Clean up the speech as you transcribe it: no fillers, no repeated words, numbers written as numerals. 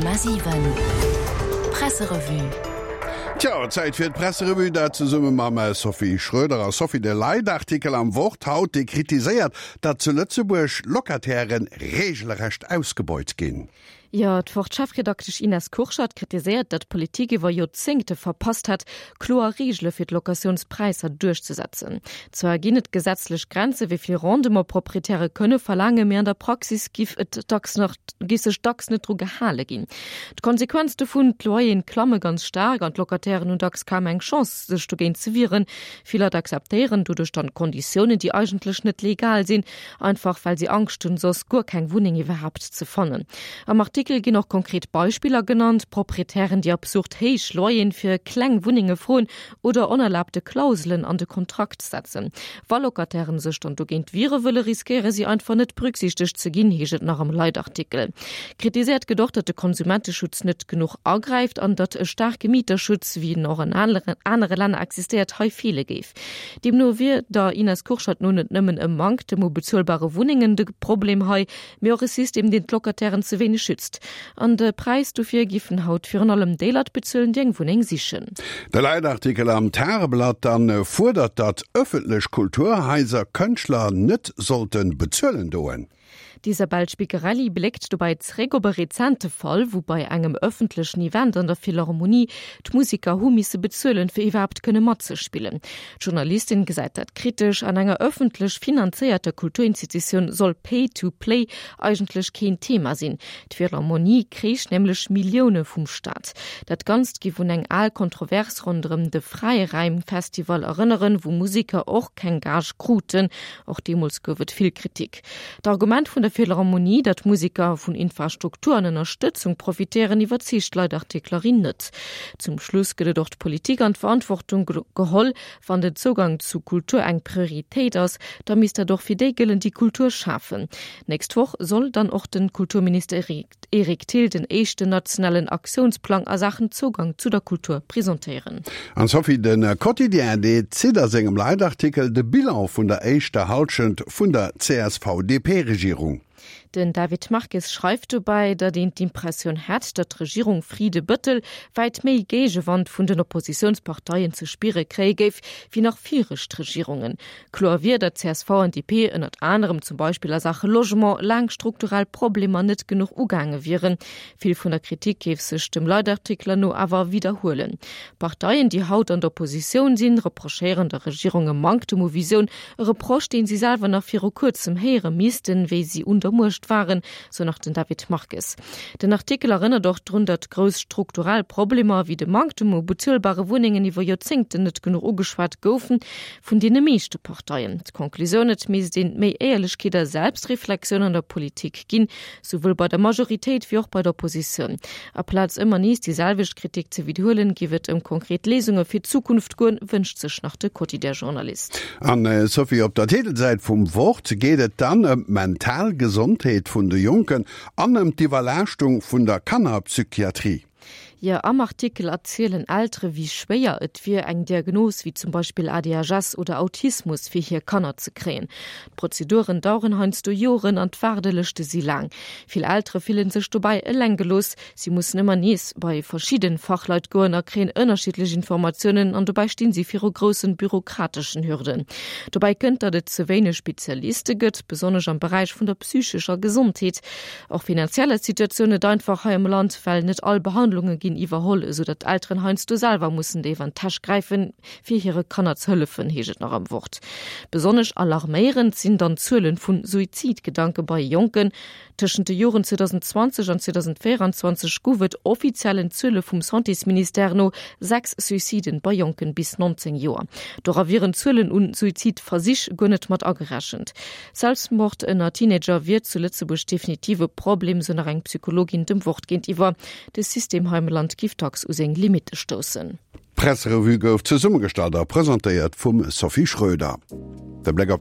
100,7 Presserevue. Tjo, Zäit fir d'Presserevue, dat zesumme mam Sophie Schröder. A Sophie, de Leitartikel am Wort haut, dee kritiséiert, datt zu Lëtzebuerg Locatairen reegelrecht ausgebeut ginn. Jo, d'Wort-Chefredaktesch Ines Kurschat kritiséiert, datt d'Politik iwwer Joerzéngte verpasst hätt, kloer Reegele fir d'Locatiounspräisser duerchzesetzen. Zwar ginn et gesetzlech Grenze wéi vill Rendement Proprietäre kënne verlaangen, mee an der Praxis giff et dacks nach giff sech dacks net dru gehale ginn. D'Konsequenz dovun, D'Loyeren klamme ganz staark an d'Locatairen hunn dacks kaum eng Chance, sech dogéint ze wieren. Vill Leit akzeptéieren doduerch dann Konditiounen, déi eigentlech net legal sinn. Einfach well si Angscht hunn, soss guer keng Wunneng iwwerhaapt ze fannen. Am Artikel ginn och konkret Beispiller genannt, Proprietären, déi absurd héich Loyeren fir kleng Wunnenge froen oder onerlaabte Klauselen an de Kontrakt setzen. Wa Locatairen sech dann dogéint wiere wëlle, riskéiere si einfach net berücksichtegt ze ginn, heescht et nach am Leitartikel. Kritiséiert gëtt och, datt de Konsumenteschutz net genuch agräift an datt e staarke Mieterschutz, wéi en och an anere Länner existéiert, hei feele géif. Deemno wier der Ines Kurschat no net nëmmen e Manktem u bezuelbare Wunnengen de Problem hei, mee och e System, deen d'Locatairen ze wéineg schützt. An de Präis dofir giffen haut virun allem déi Leit bezuelen, déi eng Wunneng sichen. De Leitartikel am Tageblatt dann fuerdert, datt ëffentlech Kulturhaiser Kënschtler net sollte bezuelen doen. D'Isabel Spigarelli bléckt dobäi zeréck op e rezente Fall, wou bei engem ëffentlechen Event an der Philharmonie d'Museker hu misse bezuelen, fir iwwerhaapt kënne matzespillen. D'Journalistin gesäit dat kritesch, An enger ëffentlech finanzéierter Kulturinstitutioun soll Pay to Play eigentlech keen Thema sinn. D'Philharmonie kréich nämlech Millioune vum Staat. Dat Ganzt giff un eng al Kontrovers ronderëm de Fräiräim-Festival erënneren, wou Museker och keng Gage kruten. Och deemools gouf et vill Kritik. D'Argument vun der Philharmonie, datt Museker vun Infrastruktur an Ënnerstëtzung profitéieren, iwwerzeegt d'Leitartiklerin net. Zum Schluss gëtt et och d'Politik an d'Verantwortung geholl. Wann den Zougang zu Kultur eng Prioritéit ass, da misst dat och fir déi gëllen, déi Kultur schafen. Nächst Woch soll dann och de Kulturminister Eric Thill den éischten nationalen Aktiounsplang a Saachen Zougang zu der Kultur presentéieren. An Sophie, de Quotidien, dee zitt a sengem Leitartikel de Bilan vun der éischter Hallschent vun der CSV-DP-Regierung. Den David Marques schreift dobäi, datt een d'Impressioun hätt, datt d'Regierung Frieden-Bëttel wäit méi Géigewand vun den Oppositiounsparteien ze spiere kréie géif, wéi nach viregt Regierungen. Kloer wier, datt csv an DP ënnert anerem zum Beispill a Saache Logement laang strukturell Problemer net genuch ugaange wieren. Vill vun der Kritik géif sech dem Leitartikler no awer widderhuelen. Parteien, déi haut an der Oppositioun sinn, reprochéieren der Regierung e Manktem u Visioun, e Reproche, deen si selwer nach viru kuerzem héiere missten, wéi si un der Muecht waren, sou nach den David Marques. Den Artikel erënnert och drun, datt grouss strukturell Problemer, wéi de Manktem u bezuelbare Wunnengen iwwer Joerzéngten net genuch ugeschwat goufen. Vun deene meeschte Parteien. D'Conclusioun, Et misst een méi Éierlechkeet a Selbstreflexioun an der Politik ginn, souwuel bei der Majoritéit wéi och bei der Oppositioun. Aplaz ëmmer nees déi selwecht Kritik ze widderhuelen, géif et ëm konkret Léisunge fir d'Zukunft goen, wënscht sech nach de Quotidien-Journalist. An Sophie, op der Titelsäit vum Wort geet et dann ëm d'mental Gesondheet vun de Jonken an ëm d'Iwwerlaaschtung vun der Kannerpsychiatrie. Jo, am Artikel erzielen Eltere wéi schwéier et wier, eng Diagnos wéi zum Beispill ADHS oder Autismus fir hir Kanner ze kréien. D'Prozeduren daueren heiansdo Joren an d'Waardelëschte si laang. Vill Eltere fillen sech dobäi eleng gelooss. Si mussen ëmmer nees bei verschidde Fachleit goen a kréien ënnerschiddlech Informatiounen an dobäi stinn si viru groussen bürokrateschen Hürden. Dobäi kënnt, datt et ze wéineg Spezialiste gëtt, besonnesch am Beräich vun der psychescher Gesondheet. Och finanziell ass d'Situatioun net einfach hei am Land, well net all Behandlunge ginn iwwerholl, esou datt d'Elteren heiansdo selwer mussen déif an d'Täsch gräifen, fir hire Kanner ze hëllefen, heescht et nach am Wort. Besonnesch alarméierend sinn dann d'Zuele vu Suizidgedanke bei Jonken. Tëschent de Joren 2020 an 2024 gouf et offiziellen Zuele vum Santésministère no 6 Suiciden bei Jonken bis 19 Joer. Dora wieren d'Zuelen un Suizidversich guer net mat agerechent. Selbstmord ënner Teenager wier zu Lëtzebuerg definitiv e Problem, sou nach eng Psychologin dem Wort géintiwwer. De System hei am Land giff dacks u seng Limitte stoussen. D'Presserevue gouf zesummegestallt a presentéiert vum Sophie Schröder. De Bléck op.